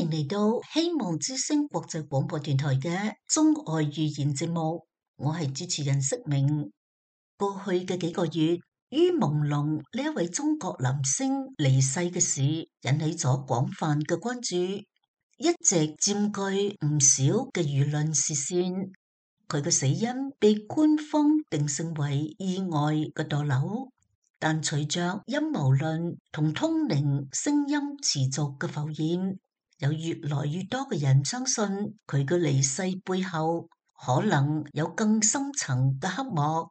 迎嚟到希望之聲國際廣播電台嘅中外語言節目，我係主持人釋明。過去嘅幾個月，於朦朧呢一位中國男星離世嘅事引起咗廣泛嘅關注，一直佔據唔少嘅輿論視線。佢嘅死因被官方定性為意外嘅墮樓。但隨着陰謀論同通靈聲音持續嘅浮現，有越來越多嘅人相信佢嘅離世背後可能有更深層嘅黑幕。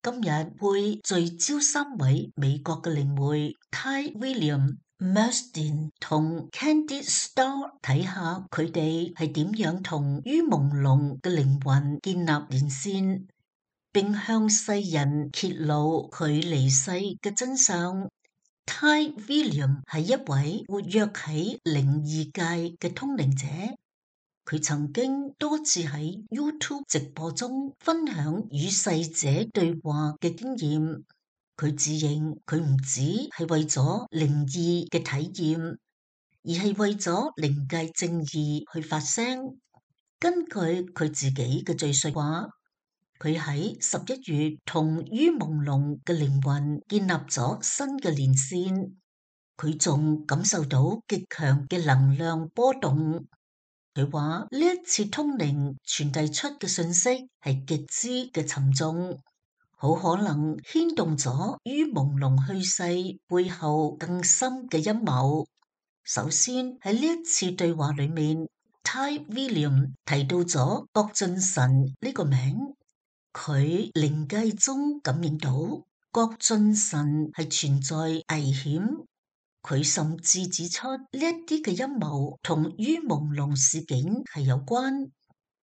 今日會聚焦三位美國嘅靈媒 Ty William、Merstein 同 Candice Starr， 睇下佢哋係點樣同於朦朧嘅靈魂建立連線，並向世人揭露佢離世嘅真相。Ty William 係一位活躍喺靈異界嘅通靈者，佢曾經多次喺 YouTube 直播中分享與逝者對話嘅經驗。佢自認佢唔止係為咗靈異嘅體驗，而係為咗靈界正義去發聲。根據佢自己嘅敘述話，佢喺11月同於朦朧嘅靈魂建立咗新嘅連線，佢仲感受到極強嘅能量波動。佢話呢一次通靈傳遞出嘅信息係極之嘅沉重，好可能牽動咗於朦朧去世背後更深嘅陰謀。首先喺呢一次對話裏面，Ty William 提到咗郭俊辰呢個名。佢靈界中感應到郭俊辰係存在危險，佢甚至指出呢一啲嘅陰謀同於朦朧事件係有關，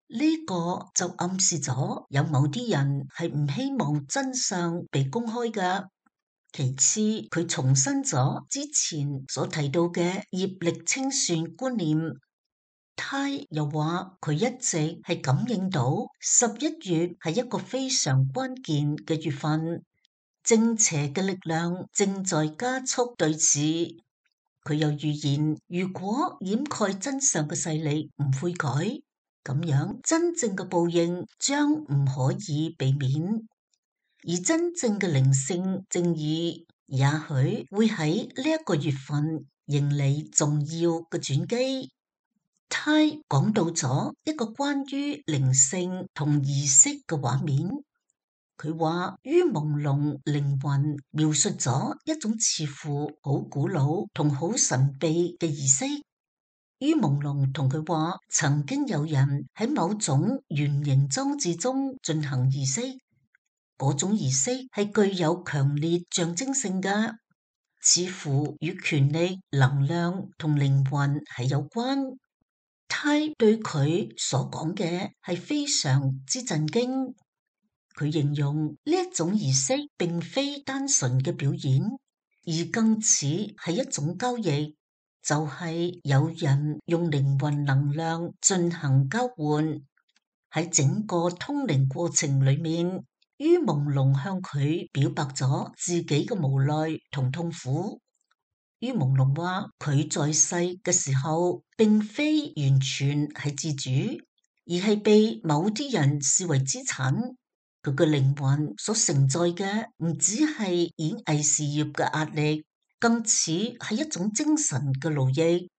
呢個就暗示咗有某啲人係唔希望真相被公開㗎。其次，佢重申咗之前所提到嘅業力清算觀念。Ty又話佢一直係感應到11月係一個非常關鍵嘅月份，正邪嘅力量正在加速對峙。佢又預言，如果掩蓋真相嘅勢力唔悔改，咁樣真正嘅報應將唔可以避免，而真正嘅靈性正義也許會喺呢一個月份迎嚟重要嘅轉機。Ty講到咗一個關於靈性同儀式嘅畫面，佢話於朦朧靈魂描述咗一種似乎好古老同好神秘嘅儀式。於朦朧同佢話，曾經有人喺某種圓形裝置中進行儀式，嗰種儀式係具有強烈象徵性嘅，似乎與權力、能量同靈魂係有關。Ty對佢所講嘅係非常之震驚，佢形容呢一種儀式並非單純嘅表演，而更似係一種交易，就係有人用靈魂能量進行交換。喺整個通靈過程裏面，於朦朧向佢表白咗自己嘅無奈同痛苦。於朦朧話佢在世嘅時候，並非完全係自主，而係被某啲人視為資產。佢嘅靈魂所承載嘅唔只係演藝事業嘅壓力，更似係一種精神嘅勞役。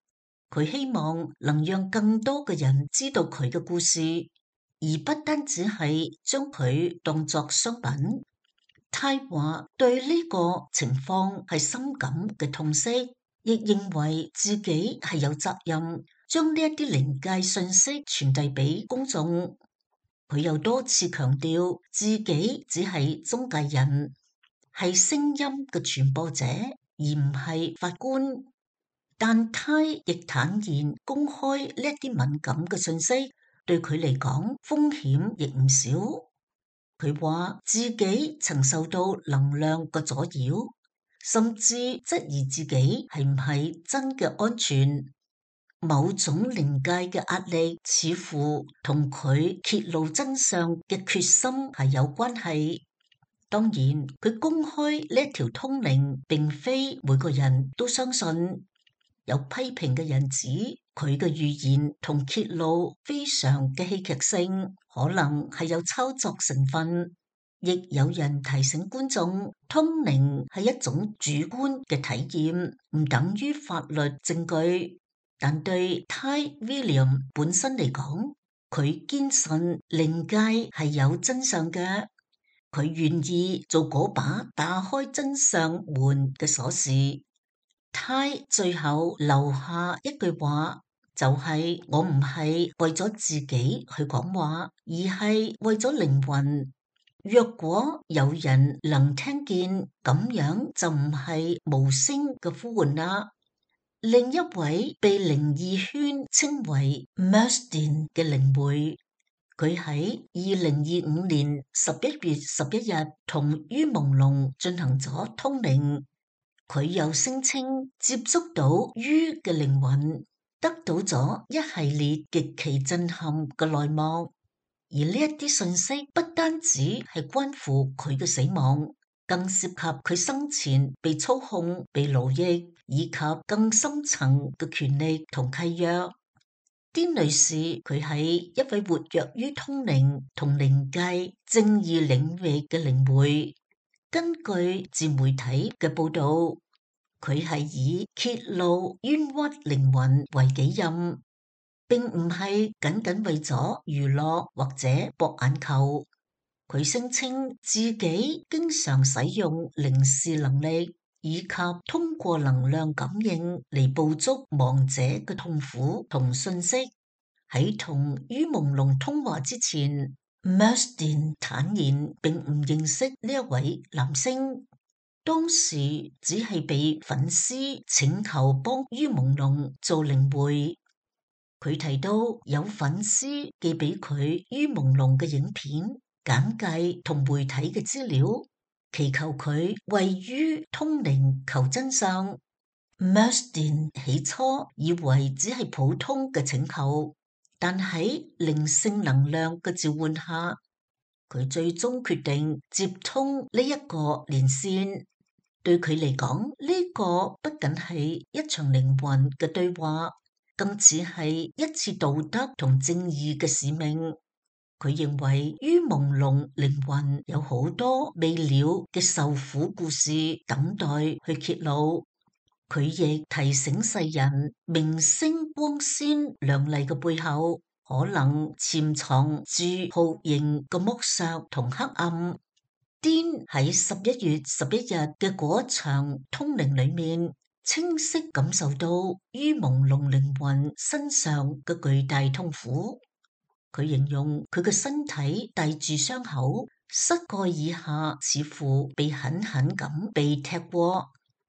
佢希望能讓更多嘅人知道佢嘅故事，而不單只係將佢當作商品。Ty話對呢個情況係深感嘅痛惜，亦認為自己係有責任將呢一啲靈界信息傳遞俾公眾。佢又多次強調自己只係中介人，係聲音嘅傳播者，而唔係法官。但Ty亦坦言公開呢一啲敏感嘅信息對佢嚟講風險亦唔少。佢話自己曾受到能量嘅阻擾，甚至質疑自己係唔係真嘅安全。某種靈界嘅壓力似乎同佢揭露真相嘅決心係有關係。當然，佢公開呢一條通靈並非每個人都相信。有批評嘅人指佢嘅預言同揭露非常嘅戲劇性，可能係有操作成分。亦有人提醒觀眾，通靈係一種主觀嘅體驗，唔等於法律證據。但對 Ty William 本身嚟講，佢堅信靈界係有真相嘅，佢願意做嗰把打開真相門嘅鎖匙。Ty 最後留下一句話，就係我唔係為咗自己去講話，而係為咗靈魂。若果有人能聽見，咁樣就唔係無聲嘅呼喚啦。另一位被靈異圈稱為 Merstin 嘅靈媒，佢喺2025年11月11日同於朦朧進行咗通靈。佢又聲稱接觸到於嘅靈魂，得到咗一系列極其震撼嘅內幕。而呢一啲信息不單止係關乎佢嘅死亡，更涉及佢生前被操控、被奴役，以及更深層嘅權力同契約。丁女士佢係一位活躍於通靈同靈界正義領域嘅靈媒。根據自媒體嘅報道，佢係以揭露冤屈靈魂為己任，並唔係僅僅為咗娛樂或者博眼球。佢聲稱自己經常使用靈視能力，以及通過能量感應嚟捕捉亡者嘅痛苦同信息。喺同於朦朧通話之前， Merstin 坦言並唔認識呢一位男星，當時只係被粉絲請求幫於朦朧做靈媒。佢提到有粉絲寄俾佢於朦朧嘅影片、簡介同媒體嘅資料，祈求佢為於通靈求真相。Merstin 起初以為只係普通嘅請求，但喺靈性能量嘅召喚下，佢最終決定接通呢一個連線。對佢嚟講，呢個不僅係一場靈魂嘅對話，更似係一次道德同正義嘅使命。佢認為於朦朧靈魂有好多未了嘅受苦故事等待去揭露。佢亦提醒世人，明星光鮮亮麗嘅背後，可能潛藏住酷刑嘅剝削同黑暗。Dean 喺11月11日嘅嗰場通靈裏面，清晰感受到於朦朧靈魂身上嘅巨大痛苦。佢形容佢嘅身體帶住傷口，膝蓋以下似乎被狠狠咁被踢過。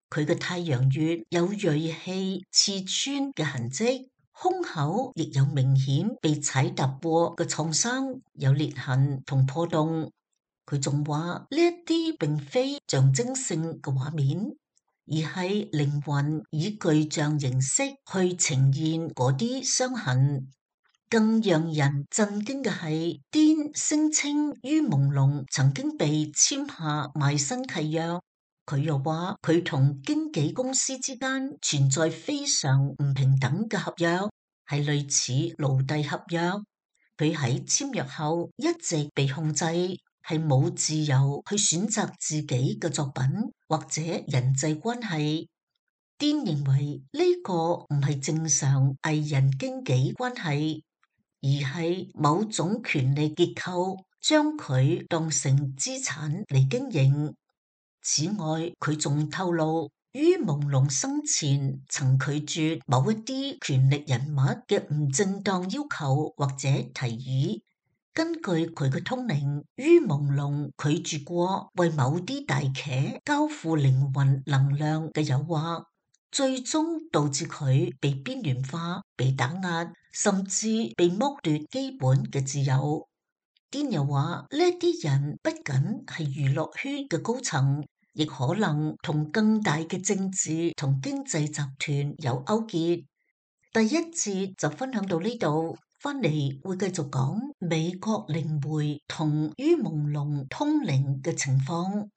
佢嘅太陽穴有銳器刺穿嘅痕跡，胸口亦有明顯被踩踏過嘅創傷，有裂痕同破洞。佢仲話呢一啲並非象徵性嘅畫面，而係靈魂以具象形式去呈現嗰啲傷痕。更讓人震驚嘅係，Dean聲稱於朦朧曾經被簽下賣身契約。佢又話佢同經紀公司之間存在非常唔平等嘅合約，係類似奴隸合約。佢喺簽約後一直被控制，係冇自由去選擇自己嘅作品或者人際關係。Dean認為呢個唔係正常藝人經紀關係，而係某種權力結構將佢當成資產嚟經營。此外，佢仲透露，於朦朧生前曾拒絕某一啲權力人物嘅唔正當要求或者提議。根據佢嘅通靈，於朦朧拒絕過為某啲大企交付靈魂能量嘅誘惑，最終導致佢被邊緣化、被打壓，甚至被剝奪基本嘅自由。Dean又話呢啲人不僅係娛樂圈嘅高層，亦可能同更大嘅政治同經濟集團有勾結。第一節就分享到呢度，翻嚟會繼續講美國靈媒同於朦朧通靈嘅情況。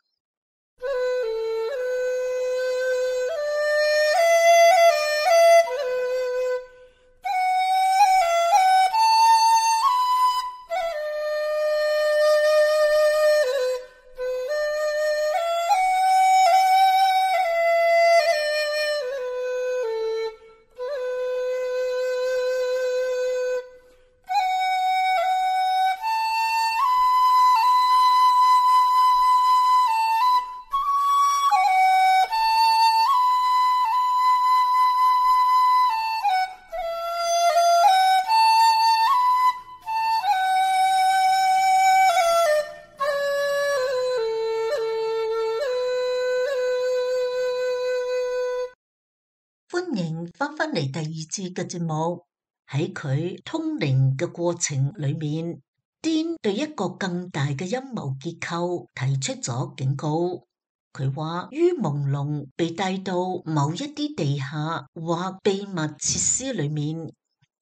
歡迎翻返嚟第二次嘅節目。喺佢通靈嘅過程裏面，Dean對一個更大嘅陰謀結構提出咗警告。佢話於朦朧被帶到某一啲地下或秘密設施裏面，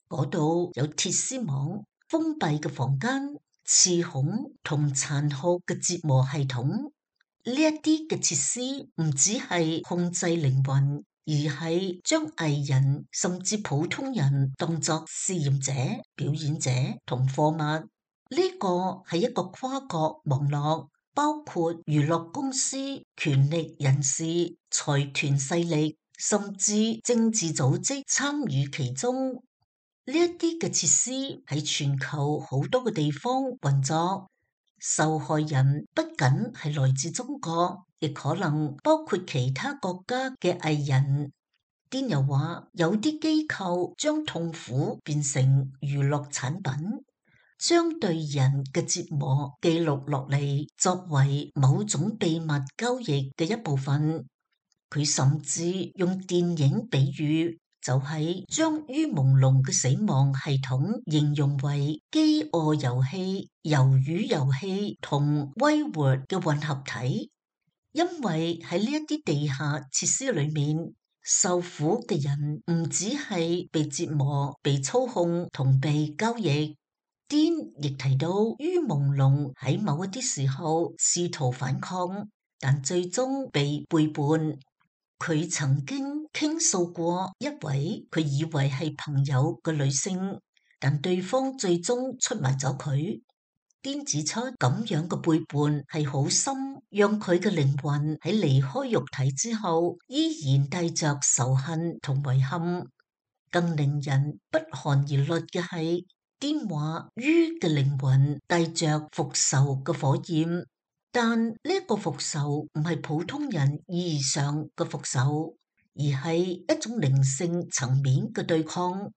嗰度有鐵絲網、封閉嘅房間、刺孔同殘酷嘅折磨系統。呢一啲嘅設施唔只係控制靈魂，而係將藝人甚至普通人當作試驗者、表演者同貨物。呢個係一個跨國網絡，包括娛樂公司、權力人士、財團勢力，甚至政治組織參與其中。呢一啲嘅設施喺全球好多個地方運作。受害人不僅係來自中國，亦可能包括其他國家嘅藝人。Dean又話，有啲機構將痛苦變成娛樂產品，將對人嘅折磨記錄落嚟，作為某種秘密交易嘅一部分。佢甚至用電影比喻，就係將於朦朧嘅死亡系統形容為飢餓遊戲、魷魚遊戲同威活嘅混合體，因為喺呢一啲地下設施裏面，受苦嘅人唔只係被折磨、被操控同被交易。Dean 亦提到，於朦朧喺某一啲時候試圖反抗，但最終被背叛。佢曾經傾訴過一位佢以為係朋友嘅女性，但對方最終出賣咗佢。Dean指出，咁樣嘅背叛係好深，讓佢嘅靈魂喺離開肉體之後，依然帶着仇恨同遺憾。更令人不寒而栗嘅係，Dean話於嘅靈魂帶着復仇嘅火焰。但呢個復仇唔係普通人意義上嘅復仇，而係一種靈性層面嘅對抗，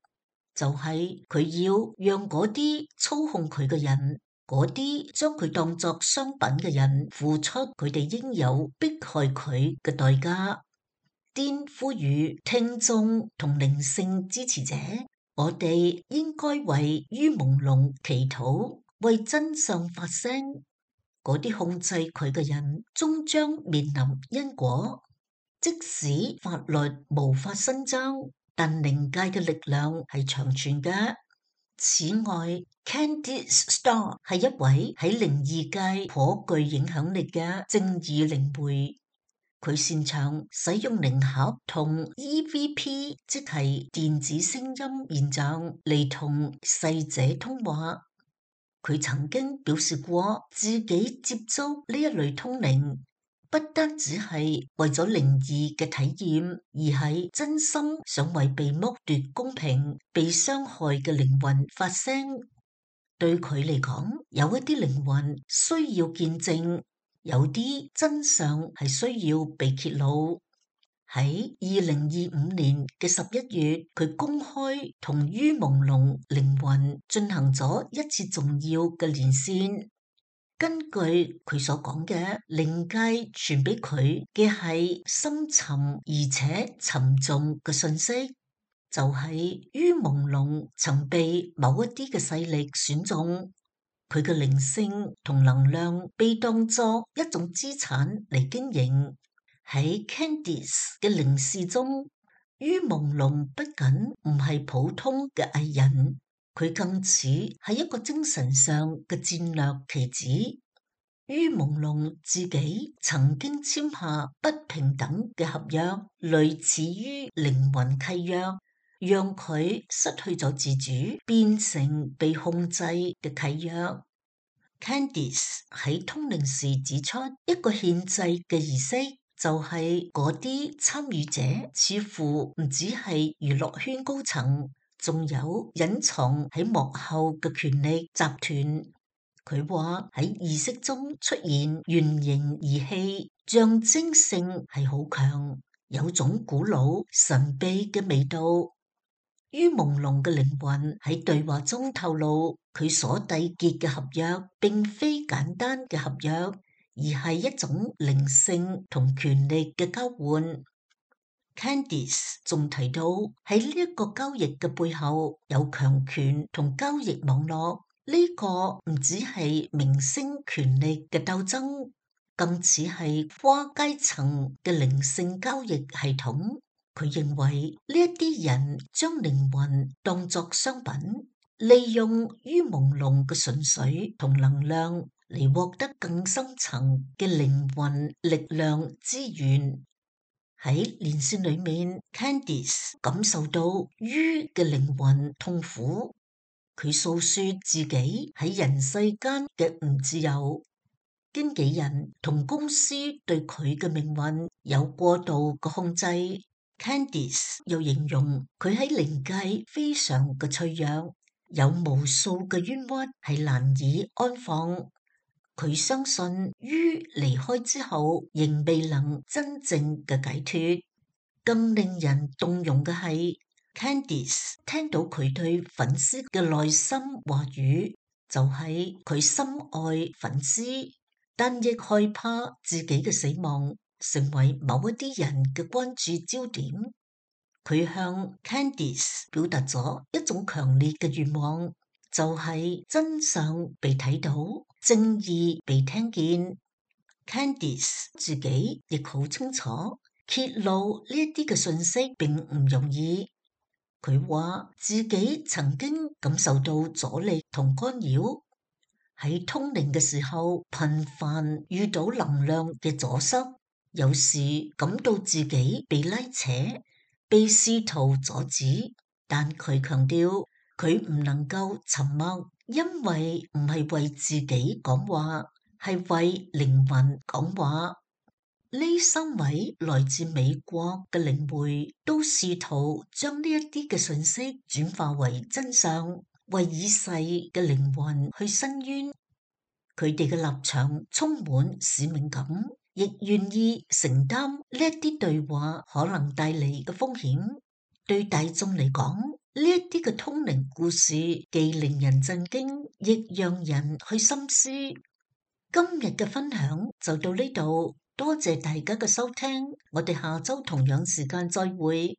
就係佢要讓嗰啲操控佢嘅人，嗰啲將佢當作商品嘅人付出佢哋應有迫害佢嘅代價。Dean呼籲聽眾同靈性支持者，我哋應該為於朦朧祈禱，為真相發聲。嗰啲控制佢嘅人終將面臨因果，即使法律無法伸張，但靈界嘅力量係長存嘅。此外，Candice Starr 係一位喺靈異界頗具影響力嘅正義靈媒，佢擅長使用靈盒同 EVP， 即係電子聲音現象嚟同逝者通話。佢曾經表示過，自己接觸呢一類通靈，不單只係為咗靈異嘅體驗，而係真心想為被剝奪公平、被傷害嘅靈魂發聲。對佢嚟講，有一啲靈魂需要見證，有啲真相係需要被揭露。喺2025年嘅11月，佢公開同於朦朧靈魂進行咗一次重要嘅連線。根據佢所講嘅，靈界傳俾佢嘅係深沉而且沉重嘅信息，就係於朦朧曾被某一啲嘅勢力選中，佢嘅靈性同能量被當作一種資產嚟經營。喺 Candice 嘅靈視中，於朦朧不僅唔係普通嘅藝人，佢更似係一個精神上嘅戰略棋子。於朦朧自己曾經簽下不平等嘅合約，類似於靈魂契約，讓佢失去咗自主，變成被控制嘅契約。Candice 喺通靈時指出，一個獻祭嘅儀式就係嗰啲參與者似乎唔只係娛樂圈高層，仲有隱藏喺幕後嘅權力集團。佢話喺儀式中出現圓形儀器，象徵性係好強，有種古老神秘嘅味道。於朦朧嘅靈魂喺對話中透露，佢所締結嘅合約並非簡單嘅合約，而係一種靈性同權力嘅交換。Candice 仲提到喺呢一個交易嘅背後有強權同交易網絡，呢個唔只係明星權力嘅鬥爭，更似係跨階層嘅靈性交易系統。佢認為呢一啲人將靈魂當作商品，利用於朦朧嘅純粹同能量嚟獲得更深層嘅靈魂力量資源。喺連線裏面 Candice 感受到於嘅靈魂痛苦，佢訴說自己喺人世間嘅唔自由，經紀人同公司對佢嘅命運有過度嘅控制。Candice 又形容佢喺靈界非常嘅脆弱，有無數嘅冤屈係難以安放。佢相信於離開之後仍未能真正嘅解脫。更令人動容嘅係 Candice 聽到佢對粉絲嘅內心話語，就係佢深愛粉絲，但亦害怕自己嘅死亡成為某一啲人嘅關注焦點。佢向 Candice 表達咗一種強烈嘅願望，就係真相被睇到，正義被聽見。Candice 自己亦好清楚，揭露呢一啲嘅信息並唔容易。佢話自己曾經感受到阻力同干擾，喺通靈嘅時候頻繁遇到能量嘅阻塞，有時感到自己被拉扯，被試圖阻止。但佢強調佢唔能夠沉默，因為唔係為自己講話，係為靈魂講話。呢三位來自美國嘅靈媒都試圖將呢一啲嘅信息轉化為真相，為已逝嘅靈魂去申冤。佢哋嘅立場充滿使命感，亦願意承擔呢一啲對話可能帶嚟嘅風險。對大眾嚟講，呢一啲嘅通靈故事既令人震驚，亦讓人去深思。今日嘅分享就到呢度，多謝大家嘅收聽，我哋下周同樣時間再會。